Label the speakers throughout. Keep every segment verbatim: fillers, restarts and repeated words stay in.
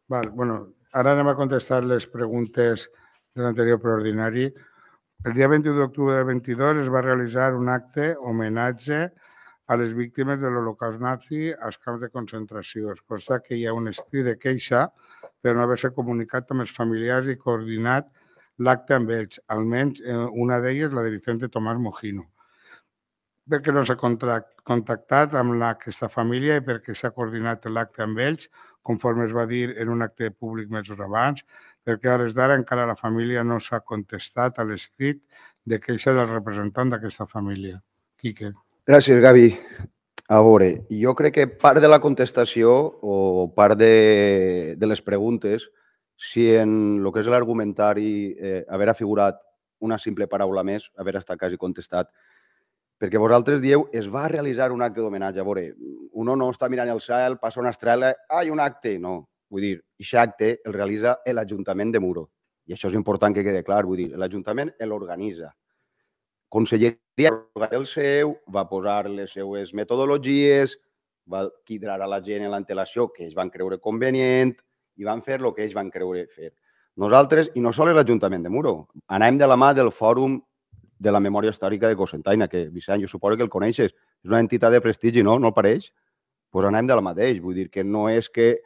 Speaker 1: Val, bueno, ara anem a contestar les preguntes de l'anterior preordinari. El dia vint-i-u d'octubre del vint-i-dos es va realitzar un acte homenatge a les víctimes de l'Holocaust nazi als camps de concentració. Es consta que hi ha un escrit de queixa per no haver-se comunicat amb els familiars i coordinat l'acte amb ells, almenys una d'elles, la de Vicente Tomás Mojino. Per què no s'ha contactat amb aquesta família i per què s'ha coordinat l'acte amb ells, conforme es va dir en un acte públic mesos abans, perquè a hores d'ara encara la família no s'ha contestat a l'escrit de queixa del representant d'aquesta família. Quique.
Speaker 2: Gràcies, Gavi. A veure, jo crec que part de la contestació o part de, de les preguntes, si en el que és l'argumentari eh, haver figurat una simple paraula més, haver estat quasi contestat, perquè vosaltres dieu, es va realitzar un acte d'homenatge. A veure, uno no està mirant el cel, passa una estrela, ah, hi ha un acte. No, vull dir, aquest acte el realitza l'Ajuntament de Muro. I això és important que quede clar, vull dir, l'Ajuntament l'organitza. Conselleria el seu, va posar les seues metodologies, va quidrar a la gent en l'antelació que ells van creure convenient i van fer el que ells van creure fer. Nosaltres, i no sols l'Ajuntament de Muro, anem de la mà del Fòrum de la Memòria Històrica de Cocentaina, que, Vicent, jo suposo que el coneixes, és una entitat de prestigi, no? No el pareix? Doncs pues anem de la mateix, vull dir que no és que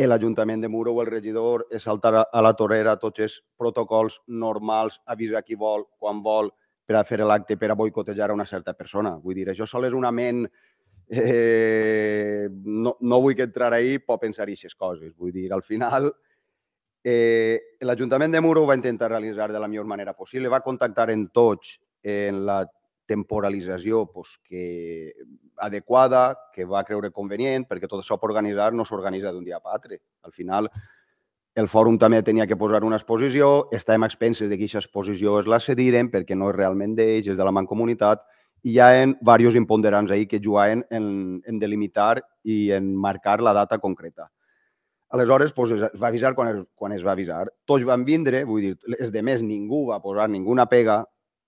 Speaker 2: l'Ajuntament de Muro o el regidor es salta a la torera tots els protocols normals, avisa qui vol, quan vol, per a fer l'acte, per a boicotejar a una certa persona. Vull dir, això sol és una ment... Eh, no, no vull que entrar ahí, pot pensar aquestes coses. Vull dir, al final, eh, l'Ajuntament de Muro ho va intentar realitzar de la millor manera possible, va contactar en tots en la temporalització pues, que adequada, que va creure convenient, perquè tot això per organitzar no s'organitza d'un dia a l'altre. Al final, el fòrum també tenia que posar una exposició, estàvem a expenses de que aquesta exposició es la cediren perquè no és realment d'ells, és de la Mancomunitat, i hi ha diversos imponderants ahí que jugaven en, en delimitar i en marcar la data concreta. Aleshores, pues, es va avisar quan es, quan es va avisar. Tots van vindre, vull dir, els de més ningú va posar ninguna pega,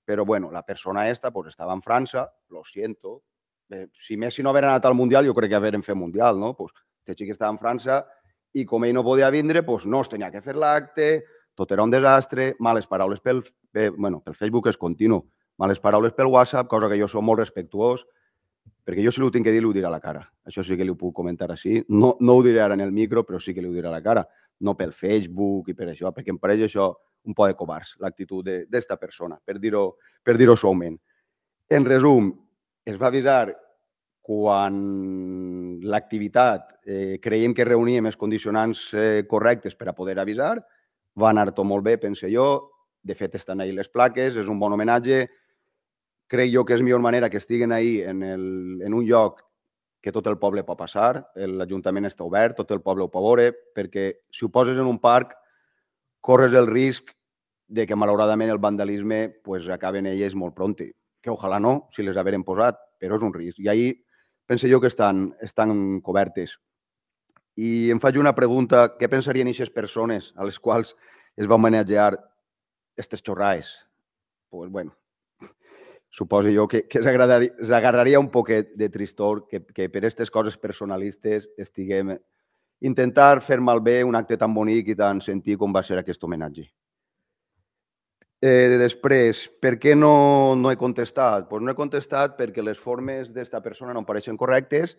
Speaker 2: però bueno, la persona esta pues, estava en França, lo siento. Eh, si Messi no haver anat al Mundial, jo crec que haver fet Mundial, no? Pues, este xic estava en França i com ell no podia vindre, pues, no es tenia que fer l'acte, tot era un desastre, males paraules pel, eh, bueno, pel Facebook és continu, males paraules pel WhatsApp, cosa que jo soc molt respectuós, perquè jo si l'ho tinc que dir, l'ho diré a la cara. Això sí que li ho puc comentar així. No, no ho diré ara en el micro, però sí que li ho diré a la cara. No pel Facebook i per això, perquè em pareix això un poc de covards, l'actitud d'esta persona, per dir-ho per dir-ho suaument. En resum, es va avisar quan l'activitat eh, creiem que reuníem els condicionants eh, correctes per a poder avisar, va anar tot molt bé, pense jo. De fet, estan ahí les plaques, és un bon homenatge. Crec jo que és millor manera que estiguen ahí en, el, en un lloc que tot el poble pot passar, l'Ajuntament està obert, tot el poble ho pot veure, perquè si ho poses en un parc, corres el risc de que malauradament el vandalisme pues, acaben elles molt pronti. Que ojalà no, si les haveren posat, però és un risc. I ahir penso jo que estan, estan cobertes. I em faig una pregunta, què pensarien aquestes persones a les quals es va homenatjar aquestes xorraes? Pues bueno, suposo jo que, que s'agarraria un poquet de tristor que, que per aquestes coses personalistes estiguem intentar fer malbé un acte tan bonic i tan sentit com va ser aquest homenatge. Eh, després, per què no, no he contestat? Pues no he contestat perquè les formes d'esta persona no em pareixen correctes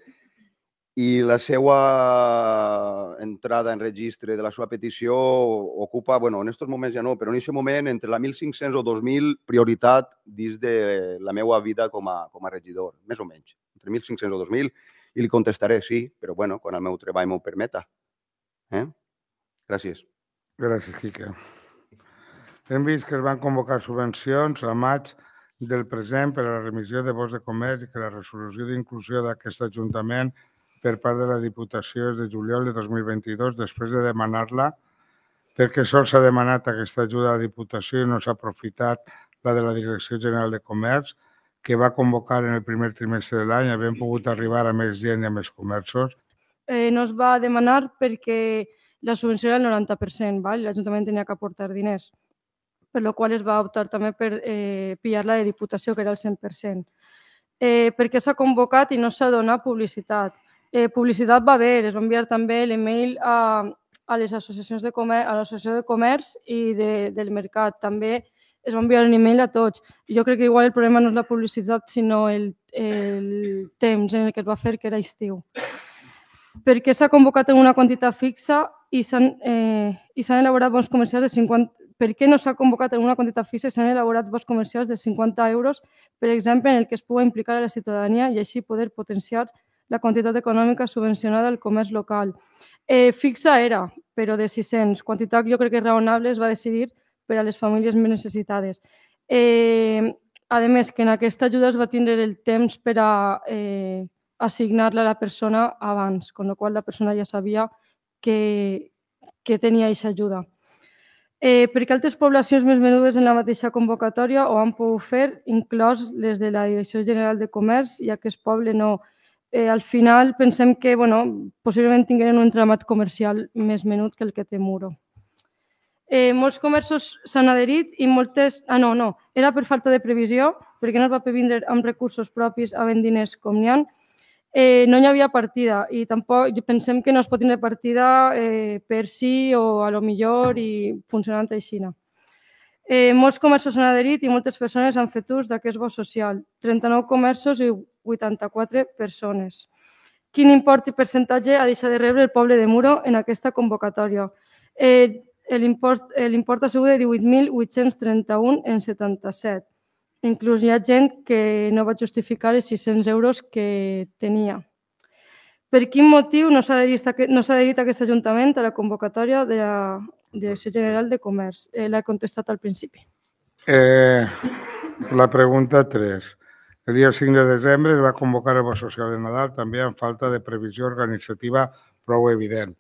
Speaker 2: i la seva entrada en registre de la seva petició ocupa, bueno, en aquests moments ja no, però en aquest moment entre la mil cinc-cents o dos mil prioritat dins de la meva vida com a, com a regidor, més o menys, entre mil cinc-cents o dos mil, i li contestaré sí, però bueno, quan el meu treball m'ho permeta. Eh? Gràcies.
Speaker 1: Gràcies, Quique. Hem vist que es van convocar subvencions a maig del present per a la remissió de vots de comerç i que la resolució d'inclusió d'aquest Ajuntament per part de la Diputació és de juliol de dos mil vint-i-dos, després de demanar-la, perquè sols s'ha demanat aquesta ajuda a la Diputació i no s'ha aprofitat la de la Direcció General de Comerç, que va convocar en el primer trimestre de l'any, havent pogut arribar a més gent i a més comerços.
Speaker 3: Eh, no es va demanar perquè la subvenció era el noranta per cent, val? L'Ajuntament tenia que aportar diners, per la qual es va optar també per eh, pillar-la de Diputació, que era el cent per cent. Eh, per què s'ha convocat i no s'ha donat publicitat? Eh, publicitat va haver, es va enviar també l'email a, a les associacions de comerç, a l'associació de comerç i de, del mercat. També es va enviar un e-mail a tots. Jo crec que igual el problema no és la publicitat, sinó el, el temps en el que es va fer, que era estiu. Perquè s'ha convocat en una quantitat fixa i s'han eh, elaborat bons comercials de cinquanta... Per què no s'ha convocat en una quantitat fixa i s'han elaborat bons comercials de cinquanta euros, per exemple, en el que es pugui implicar a la ciutadania i així poder potenciar la quantitat econòmica subvencionada al comerç local? Eh, fixa era, però de sis-cents. Quantitat jo crec que raonable es va decidir per a les famílies més necessitades. Eh, a més, que en aquesta ajuda es va tindre el temps per a eh, assignar-la a la persona abans, amb la qual la persona ja sabia que, que tenia aquesta ajuda. Eh, perquè altres poblacions més menudes en la mateixa convocatòria ho han pogut fer, inclòs les de la Direcció General de Comerç, i aquest poble no. Eh, al final pensem que bueno, possiblement tingueren un entramat comercial més menut que el que té Muro. Eh, molts comerços s'han adherit i moltes... Ah, no, no, era per falta de previsió, perquè no es va previndre amb recursos propis havent diners com n'hi ha. Eh, no hi havia partida i tampoc pensem que no es pot tenir partida eh, per sí o a lo millor i funcionant així. Eh, molts comerços s'han adherit i moltes persones han fet ús d'aquest bo social. trenta-nou comerços i vuitanta-quatre persones. Quin import i percentatge ha deixat de rebre el poble de Muro en aquesta convocatòria? Eh, L'import ha sigut de divuit mil vuit-cents trenta-un en setanta-set. Inclús hi ha gent que no va justificar els sis-cents euros que tenia. Per quin motiu no s'ha adherit aquest Ajuntament a la convocatòria de la Direcció General de Comerç? Eh, L'he contestat al principi.
Speaker 1: Eh, la pregunta tres. El dia cinc de desembre es va convocar el bo social de Nadal, també amb falta de previsió organitzativa prou evident.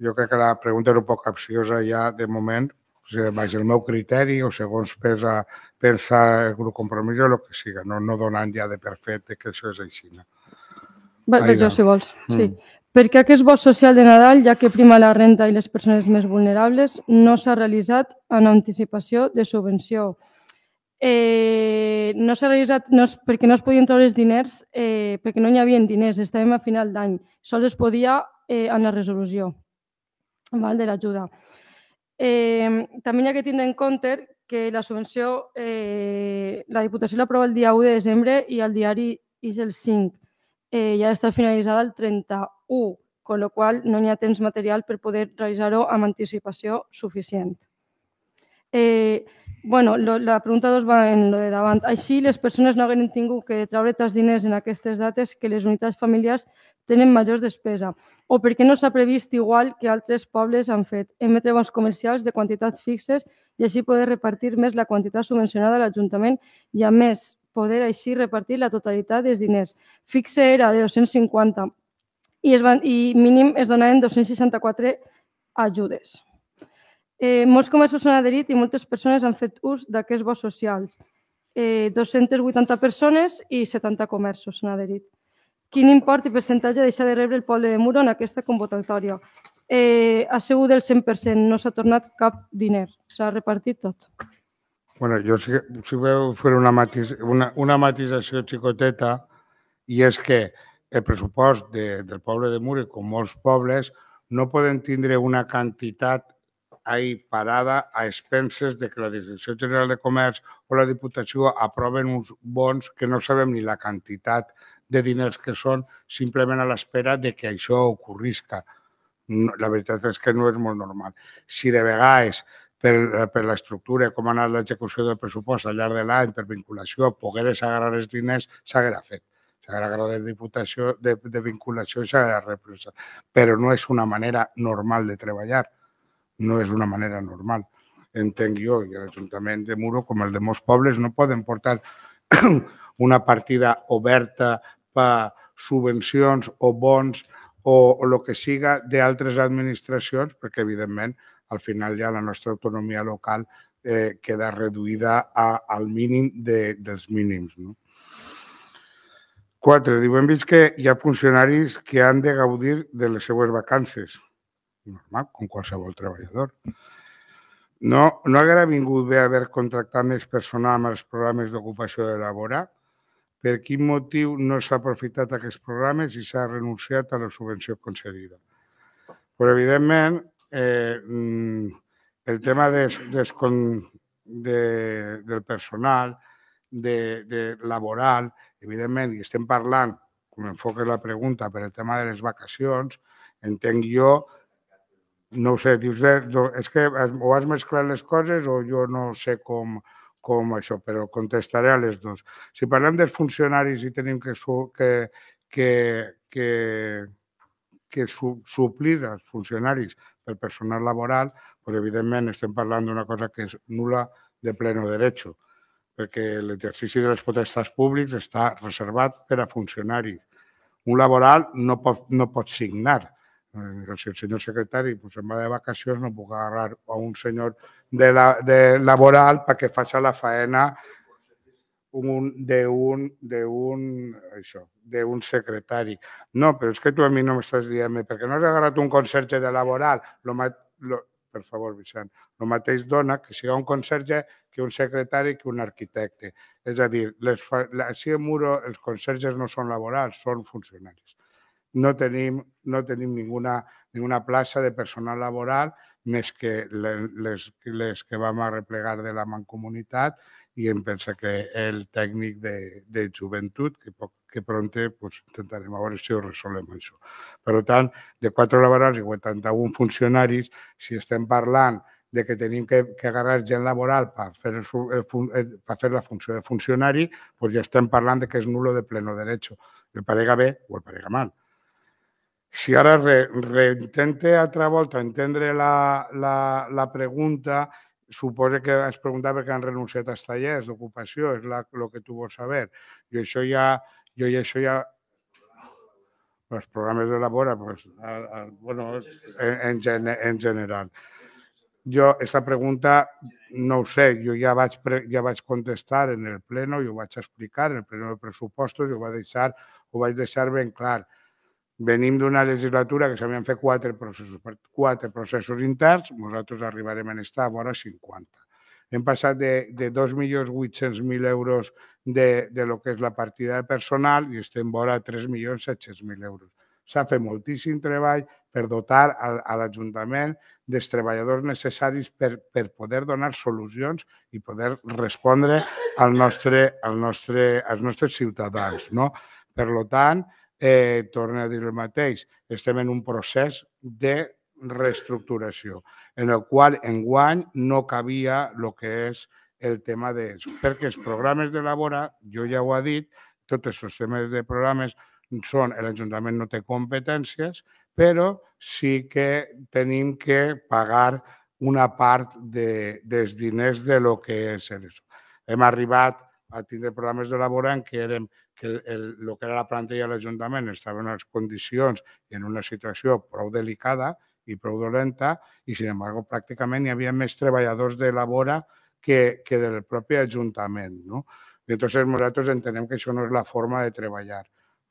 Speaker 1: Jo crec que la pregunta era un poc capciosa ja de moment, baix el meu criteri o segons pensa, pensa el grup Compromís o el que siga, no, no donant ja de per fet que això és així.
Speaker 3: Vaig jo, si vols. Sí. Mm. Perquè aquest bo social de Nadal, ja que prima la renta i les persones més vulnerables, no s'ha realitzat en anticipació de subvenció. Eh, no s'ha realitzat no, perquè no es podien treure els diners, eh, perquè no hi havia diners, estàvem a final d'any. Sols es podia eh, en la resolució val, de l'ajuda. Eh, també hi ha que tindre en compte que la subvenció, eh, la Diputació l'aprova el dia u de desembre i el diari és el cinc. Eh, ja està finalitzada el trenta-u, amb la qual cosa no hi ha temps material per poder realitzar-ho amb anticipació suficient. Eh, bueno, lo, la pregunta dos va en lo de davant. Així, les persones no hagueren tingut que treure tants diners en aquestes dates que les unitats familiars tenen majors despesa, o perquè no s'ha previst igual que altres pobles han fet, emetre bons comercials de quantitats fixes i així poder repartir més la quantitat subvencionada a l'Ajuntament i, a més, poder així repartir la totalitat dels diners. Fixe era de dos-cents cinquanta i, es van, i mínim es donaven dos-cents seixanta-quatre ajudes. Eh, molts comerços s'han adherit i moltes persones han fet ús d'aquests bons socials. Eh, dos-centes vuitanta persones i setanta comerços s'han adherit. Quin import i percentatge deixa de rebre el poble de Muro en aquesta convocatòria? Eh, ha sigut del cent per cent, no s'ha tornat cap diner, s'ha repartit tot.
Speaker 1: Bueno, jo sí, sí veu fer una, matis, una, una matisació xicoteta i és que el pressupost de, del poble de Muro, com molts pobles, no poden tindre una quantitat ahí parada a expenses de que la Direcció General de Comerç o la Diputació aproven uns bons que no sabem ni la quantitat de diners que són, simplement a l'espera de que això ocorrisca. La veritat és que no és molt normal. Si de vegades, per, per l'estructura, com ha anat l'execució del pressupost al llarg de l'any, per vinculació, pogueres agarrar els diners, s'haguera fet. S'haguera agarrat de diputació, de, de vinculació i s'haguera represa. Però no és una manera normal de treballar. No és una manera normal. Entenc jo, i l'Ajuntament de Muro, com el de molts pobles, no poden portar una partida oberta per subvencions o bons o el que siga d'altres administracions, perquè, evidentment, al final ja la nostra autonomia local eh, queda reduïda a, al mínim de, dels mínims. No? Quatre, diu, hem vist que hi ha funcionaris que han de gaudir de les seues vacances. Normal, com qualsevol treballador. No, no hauria vingut bé haver contractat més personal amb els programes d'ocupació de la vora? Per quin motiu no s'ha aprofitat aquests programes i s'ha renunciat a la subvenció concedida? Però, evidentment, eh, el tema de, de, de, del personal, de, de laboral, evidentment, i estem parlant, com enfoques la pregunta, per el tema de les vacacions, entenc jo, no ho sé, dius, és que o has mesclat les coses o jo no sé com, com això, però contestaré a les dues. Si parlem dels funcionaris i tenim que, que, que, que, que su, suplir els funcionaris pel personal laboral, doncs evidentment estem parlant d'una cosa que és nul·la de pleno derecho, perquè l'exercici de les potestats públics està reservat per a funcionaris. Un laboral no pot, no pot signar. Si el senyor secretari pues, se'n va de vacacions, no puc agarrar a un senyor de, la, de laboral perquè faci la faena d'un d'un secretari. No, però és que tu a mi no m'estàs dient perquè no has agarrat un conserge de laboral. Lo, lo, per favor, Vicent, el mateix dona que sigui un conserge que un secretari que un arquitecte. És a dir, les, així a Muro els conserges no són laborals, són funcionaris. No tenim, no tenim ninguna, ninguna plaça de personal laboral més que les, les que vam arreplegar de la Mancomunitat i em pensa que el tècnic de, de joventut, que, poc, que pronte pues, intentarem a veure si ho resolem això. Per tant, de quatre laborals i vuitanta-un funcionaris, si estem parlant de que tenim que, que agarrar gent laboral per fer, el, per fer la funció de funcionari, pues ja estem parlant de que és nulo de pleno derecho. El parega bé o el parega mal. Si ara reintente re altra volta entendre la, la, la pregunta, suposa que has preguntat perquè han renunciat als tallers d'ocupació, és la, el que tu vols saber. Jo això ja, jo i això ja, els programes de labora, pues, a, a, bueno, en, en, en general. Jo, aquesta pregunta no ho sé, jo ja vaig, ja vaig contestar en el pleno, jo ho vaig explicar en el pleno de pressupostos, jo ho vaig deixar, ho vaig deixar ben clar. Venim d'una legislatura que s'havien fet quatre processos, quatre processos interns, nosaltres arribarem a estar a vora cinquanta. Hem passat de, de dos milions vuit-cents mil euros de, de lo que és la partida de personal i estem vora tres milions set-cents mil euros. S'ha fet moltíssim treball per dotar a, a l'Ajuntament dels treballadors necessaris per, per poder donar solucions i poder respondre al nostre, al nostre, als nostres ciutadans. No? Per tant, Eh, torno a dir el mateix, estem en un procés de reestructuració, en el qual enguany no cabia el que és el tema de... Perquè els programes de labora, jo ja ho he dit, tots els temes de programes són, l'Ajuntament no té competències, però sí que tenim que pagar una part de, dels diners de lo que és això. Hem arribat a tindre programes de labora en què érem que el, el que era la plantilla de l'Ajuntament estava en unes condicions i en una situació prou delicada i prou dolenta i, sin embargo, pràcticament hi havia més treballadors de labora que, que del propi Ajuntament. No? I llavors nosaltres entenem que això no és la forma de treballar.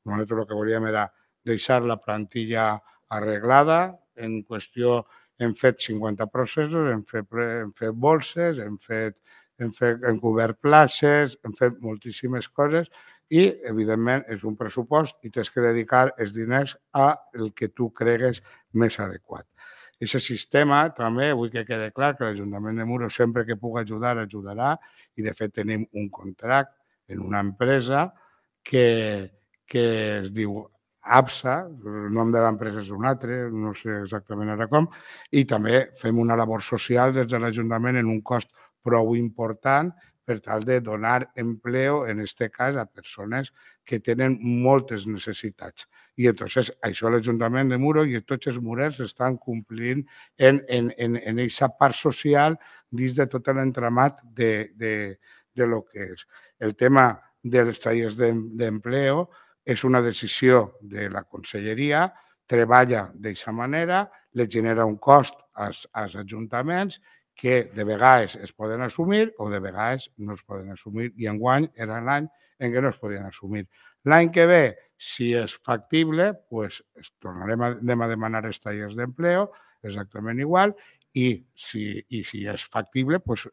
Speaker 1: Nosaltres el que volíem era deixar la plantilla arreglada, en qüestió hem fet cinquanta processos, hem fet, hem fet bolses, hem fet hem, fet, hem cobert places, hem fet moltíssimes coses i, evidentment, és un pressupost i tens que dedicar els diners a el que tu cregues més adequat. Aquest sistema també vull que quede clar que l'Ajuntament de Muro sempre que pugui ajudar, ajudarà i, de fet, tenim un contracte en una empresa que, que es diu APSA, el nom de l'empresa és un altre, no sé exactament ara com, i també fem una labor social des de l'Ajuntament en un cost prou important per tal de donar empleo, en aquest cas, a persones que tenen moltes necessitats. I entonces això l'Ajuntament de Muro i tots els murers estan complint en, en, en, en aquesta part social dins de tot l'entramat de, de, de lo que és. El tema dels tallers d'empleo és una decisió de la Conselleria, treballa d'aquesta manera, li genera un cost als, als ajuntaments que de vegades es poden assumir o de vegades no es poden assumir i enguany era l'any en què no es podien assumir. L'any que ve, si és factible, pues, tornarem a, a demanar els tallers d'empleo, exactament igual, i si, i si és factible, pues,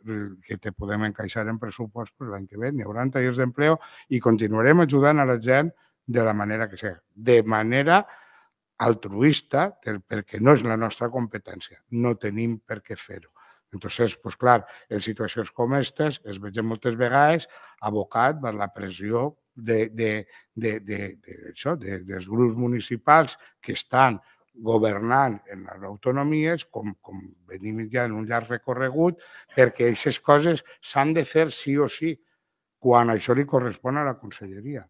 Speaker 1: que te podem encaixar en pressupost pues, l'any que ve. N'hi haurà tallers d'empleo i continuarem ajudant a la gent de la manera que sigui. De manera altruista, perquè no és la nostra competència, no tenim per què fer-ho. Entonces, pues clar, en situacions com aquestes es veiem moltes vegades abocat per la pressió de, de, de, de, de, això, de, dels grups municipals que estan governant en les autonomies, com, com venim ja en un llarg recorregut, perquè aquestes coses s'han de fer sí o sí, quan això li correspon a la conselleria.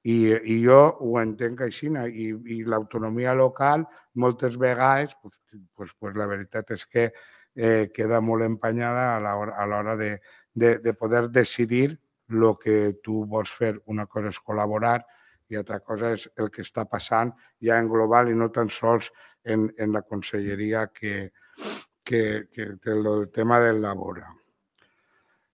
Speaker 1: I, i jo ho entenc així, i, i l'autonomia local moltes vegades, pues, pues, pues la veritat és que eh, queda molt empenyada a l'hora de, de, de poder decidir el que tu vols fer. Una cosa és col·laborar i altra cosa és el que està passant ja en global i no tan sols en, en la conselleria que, que, que té el tema del labor.